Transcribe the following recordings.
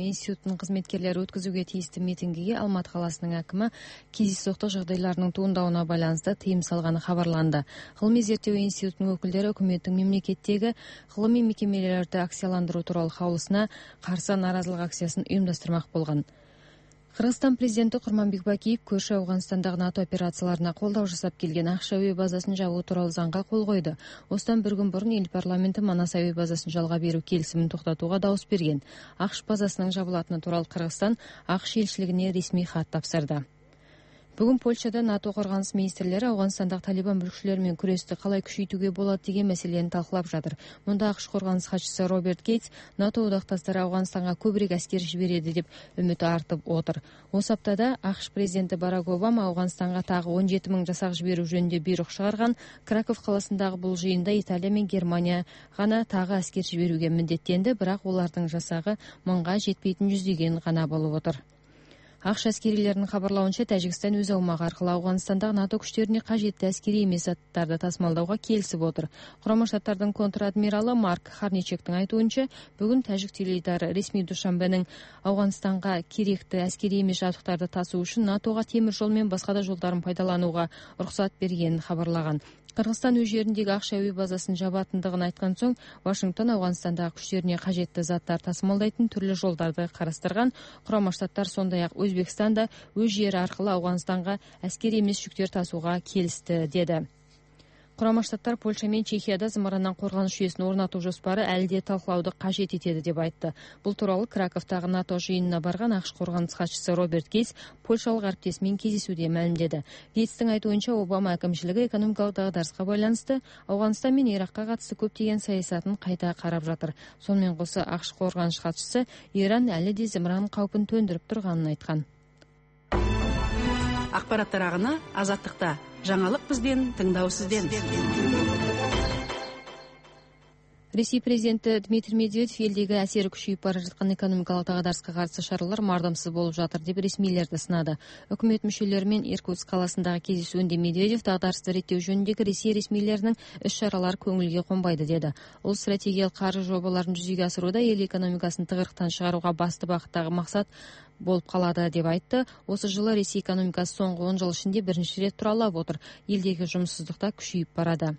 Институттун кызметкерлери өткөзүүгө тийиштүү митингиге Алматы каласынын акими кездейсоктук жагдайлардын туурандауына байланыштуу тыйым салганы кабарланды. Гылымый зерттөө институтунун өкүлдөрү өкмөттүн мамлекеттеги гылымый мекемелерди акцияландыруу тууралуу каулусуна каршы нааразылык акциясын уюмдаштырмак болгон. Кыргызстан президенти Курманбек Бакиев көршү Афганстандагы НАТО операцияларына колдоо жасап келген АКШ АВ базасын жабуу тууралуу заңга кол койду. Осудан бир күн мурун эл парламенти Манас АВ базасын жалга берүү келисимин токтотууга добуш берген. АКШ базасынын жабылатыны тууралуу Кыргызстан АКШ элчилигине ресмий кат тапшырды. Бүгүн Польшада НАТО коргонус министрлери Афганстандагы Талибан бүлүкчүлөрү менен күрөстү калай күчөйтүүгө болот деген маселени талкуулап жатыр. Мында АКШ коргонус катчысы Роберт Гейтс НАТО удакташтары Афганстанга көбүрөөк аскер жибереди деп үмүт артып отур. Осы аптада АКШ президенти Барак Обама Афганстанга тагы 17 000 жасак жиберүү жөнүндө буйрук чыгарган. Краков каласындагы бул жыйында Италия менен Германия гана тагы аскер жиберүүгө милдеттенди, бирок улардын жасагы 1000га жетпейтин жүздөгөн гана болуп отур. АКШ аскерилеринин кабарлауынча, Тажикстан өз аумагы аркылуу Афганстандагы НАТО күчтөрүнө кажеттүү аскерий эмес заттарды тасымалдауга келишип отур. Курама Штаттардын контр-адмиралы Марк Харничектин айтуунча, бүгүн тажик теледидары ресмий Душанбенин Афганстанга керектүү аскерий эмес жабдыктарды тасуу үчүн НАТОга темир жол менен башка да жолдорун пайдаланууга уруксат бергенин кабарлаган. Кыргызстан өз жериндеги АКШ АВ базасын жабатындыгын айткан соң, Вашингтон Афганстандагы күчтөрүнө кажеттүү заттар тасымалдайтын түрлүү жолдорду карастырган. Курама Штаттар сондай-ак Өзбекстан да өз жери аркылуу Афганстанга аскерий эмес жүктөр тасууга келишти, деди. Курама Штаттар Польша менен Чехияда зымырандан коргонуш жүйөсүн орнотуу жоспары әлі де талкуулауду кажет этеди деп айтты. Бул тууралуу Краковдагы НАТО жыйынына барган АКШ коргонус катчысы Роберт Гейтс польшалык арктеси менен кездесүүдө маалимдеди. Гейтстин айтуунча, Обама акимчилиги экономикалык дагдарыска байланыштуу Афганстан менен Иракка катысты көптөгөн саясатын кайта карап жатыр. Сону менен коса АКШ коргонуш катчысы Иран әлі де зымыран каупун төндүрүп турганын айткан. Акпараттар агыны Азаттыкта. Жаңалык бизден, тыңдоо сизден. Ресей президенти Дмитрий Медведев элдеги әсери күчөйүп бара жаткан экономикалык дагдарыска каршы чаралар мардымсыз болуп жатыр деп ресмийлерди сынады. Өкмөт мүчөлөрү менен Иркутск каласындагы кездесүүндө Медведев дагдарысты реттөө жөнүндөгү Ресей ресмийлеринин иш-чаралары көңүлгө конбайды деди. Ол стратегиялык каржы жобаларын жүзөгө асырууда эл экономикасын тыгырыктан чыгарууга басты багыттагы максат болуп калады деп айтты. Осы жылы Ресей экономикасы соңку 10 жыл ичинде биринчи ирет туралап отур. Элдеги жумушсуздук да күчөйүп барады.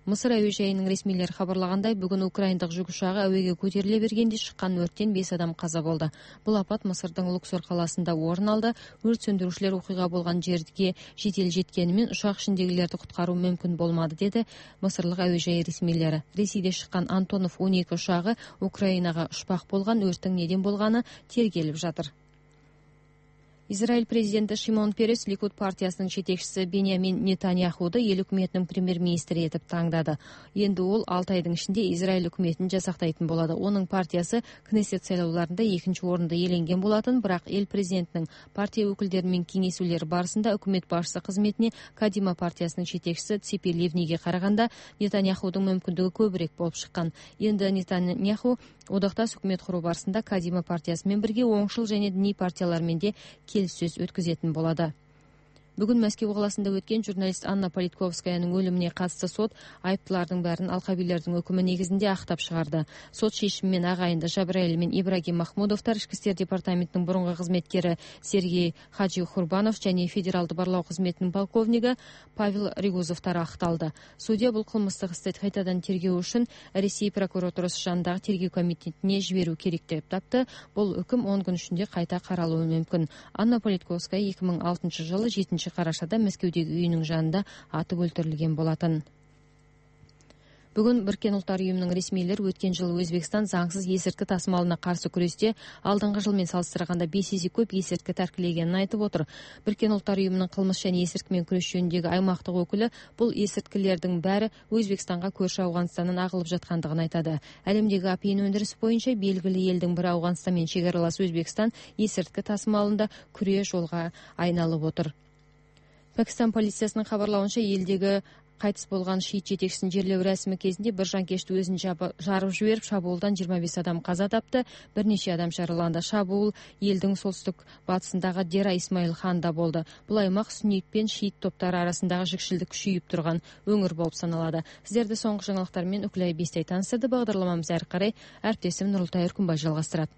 Мысыр әуе жайынын ресмийлери кабарлагандай, бүгүн украиндык жүк учагы әуеге көтөрүлө бергенде чыккан өрттөн 5 адам каза болду. Бул апат Мысырдын Луксор каласында орун алды. Өрт сөндүрүүчүлөр окуйга болгон жерге жетел жеткени менен учак ичиндегилерди куткаруу мүмкүн болмады, деди Мысырлык әуе жайы ресмийлери. Ресейде чыккан Антонов 12 учагы Украинага учпак болгон, өрттүн неден болгону тергелип жатыр. Израиль президенти Шимон Перес Ликуд партиясынын жетекчиси Беньямин Нетаньяхуду эл өкмөтүнүн премьер-министри этип тандады. Энди ол 6 айдын ичинде Израиль өкмөтүн жасактайтын болот. Онун партиясы Кнессет шайлоолорунда 2-чи орунду ээленген болатын, бирок эл президентинин партия өкүлдөрү менен кеңесүүлөр барысында өкмөт башчысы кызметине Кадима партиясынын жетекчиси Ципи Ливниге караганда Нетаньяхудун мүмкүндүгү көбүрөөк болуп чыккан. Энди Нетаньяху одакташ өкмөт куруу барысында Кадима партиясы менен бирге оңшул және диний партиялар менен де келиссөз өткөзөтүн болот. Бүгүн Москва каласында өткен журналист Анна Политковскаянын өлүмүнө катысты сот айыптылардын баарын алкабилердин өкүмү негизинде актап чыгарды. Сот чечими менен агайынды Жабраил менен Ибрагим Махмудовдор, Ички иштер департаментинин мурунку кызметкери Сергей Хаджи Хурбанов жана Федералдык барлоо кызметинин полковниги Павел Ригузовдор акталды. Судья бул кылмыштык исти кайтадан тергөө үчүн Ресей прокуратурасы жанындагы тергөө комитетине жиберүү керек деп тапты. Бул өкүм 10 күн ичинде кайта каралуу мүмкүн. Анна Политковская 2006 жылы 7 карашада Мәскеудөгү үйүнүн жанында атып өлтүрүлгөн болатын. Бүгүн Бириккен Улуттар уюмунун ресмийлери өткөн жылы Өзбекстан заңсыз эсиртки тасымалына каршы күрөстө алдыңкы жыл менен салыштырганда 5 эсе көп эсиртки таркилегенин айтып отур. Бириккен Улуттар уюмунун кылмыш жана эсиртки менен күрөш жөнүндөгү аймактык өкүлү бул эсирткилердин баары Өзбекстанга көршү Афганстандан агылып жаткандыгын айтады. Әлемдеги апийын өндүрүшү боюнча белгилүү элдин бири Афганстан менен чек аралас Өзбекстан эсиртки тасымалында күрөө жолго айналып отур. Пакистан полициясынын кабарлауынча, элдеги кайтыс болгон шиит жетекчисин жерлөө расмы кезинде бир жанкечти өзүн жарып жиберип, шабуулдан 25 адам каза тапты, бир нече адам жараланды. Шабуул элдин солтүстүк батысындагы Дера Исмаил ханда болду. Бул аймак суннит пен шиит топтары арасындагы жикшилдик күчөйүп турган өңүр болуп саналады. Сиздерди соңку жаңылыктар менен Үкүлай Бестей таныстырды. Багдарламамызды ары карай әріптесім Нурултай Өркүнбай жалгастырат.